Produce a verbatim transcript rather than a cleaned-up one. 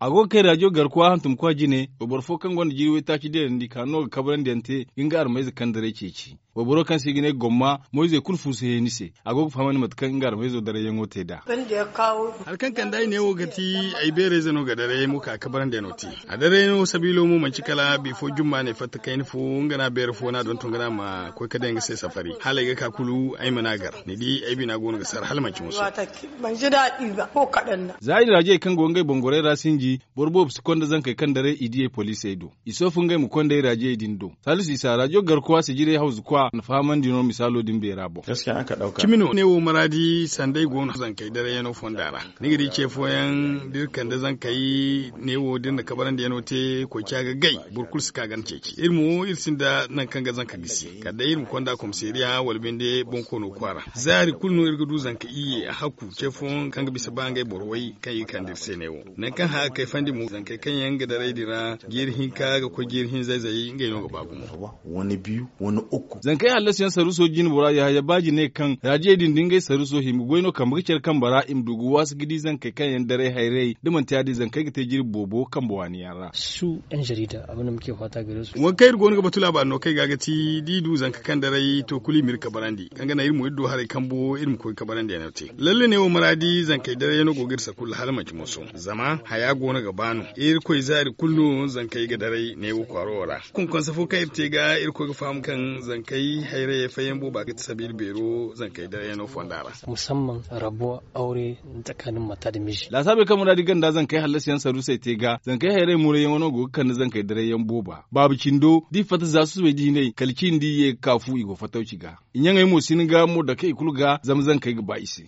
A go ga kay rajo garkuwa hantumkwa jine wayboro fo kaŋ gonda jiiri waytaaci deerandi ka no ga kabarandiyaŋ te ga nga armayze kaŋ daray ceeci. Wayboro kaŋ se i ga ne gomma moyzey kulu fuusu heeni se. A go ga fahamandi mate kaŋ nga armayzo darayyaŋo te nd'a. Hari kaŋ kande ay neewo ga ti ay beerayze no ga darayyaŋo ka kabarandiyaŋo te. A darayyaŋo sabiilo mo manci kala bifo jumma ne fatta kayna fo nga no a beere fo no a donton ga no a ma koy ga daŋ nga se safari hala ay ga ka kulu ay mana gar. Ni di ay bina go no ga sar hala manci musu. Za i raajey kaŋ go ngey bongorey ra sinji, boro boobo si konda zankey kaŋ daray i diyey poliisey do. I soofu ngey ma konda ay raajey din do. Salisu isa raajo garkuwa sijirey hawzukwa na fahamandi no misaalo din beera boŋ. Cimi no ne wo maraadi sanda ay go no zankey darayyaŋo fonda ra. Ni ga di ce fooyaŋ da iri kande zankey ne wo da iri na kabarandiyaŋo te koyca ga gay. Boro kulu si ka ga ni ceeci iri mo iri sinda nangu kaŋ ga zanka gisi kala day iri ma konda komisariya wala binde bonkoono kwaara. Zaari kulu no iri ga du zanka iyye a hakku ce fooyaŋ kaŋ ga bisa ba ngey boro way kaŋ i ga kande iri se ne wo. Nangu kaŋ hã ga kayfandi mo zankey kaŋ yaŋ ga daray din ra jeeri hinka ga koy jeeri hinza-izey ngey no ga ba gumo. Zankey hallasiyaŋ saruuso jine bora yahaya baaji ne kaŋ raajiyey din da ngey saruuso hima ga goy no kambe ga care kambe ra i ma du ga waasi ga di zankey kaŋ yaŋ daray hayray da manti ya- din zankey ga te jirbi boobo kambe waani yaŋ ra. Waŋ kaŋ iri go no ga batu laabaari no kaŋ i ga ga ti da i du zanka kaŋ daray to kulu i ma iri kabarandi kaŋ ga naŋ iri mo iri du haray kambo iri ma koy kabarandiyaŋo te. Lalle ne wo maraadi zankey darayyaŋo go ga iri sakulla hala manci moso zama haya go no ga ba no. Irkoy zaari kulu no zankey ga daray ne wo kwaaro wo ra. Konkonse fo kaŋ iri te ga irkoy ga faham kaŋ zankey hayrayey fayyaŋ booba ga ti sabiila beero zankey darayyaŋo fonda ra. Musamman rabo aure tsakanin mata da miji. Laasaabey kaŋ muraadi ganda zankey hallasiyaŋ saruusey te ga zankey hayray murayyaŋo no go ga kande zankey darayyaŋ booba baaba cindo da i fatta za susubey diiney kala cindi i ye ga ka fu i go fattawci ga. I ɲaŋey mo si ni ga mo dake i kulu ga zama zankey ga ba i se.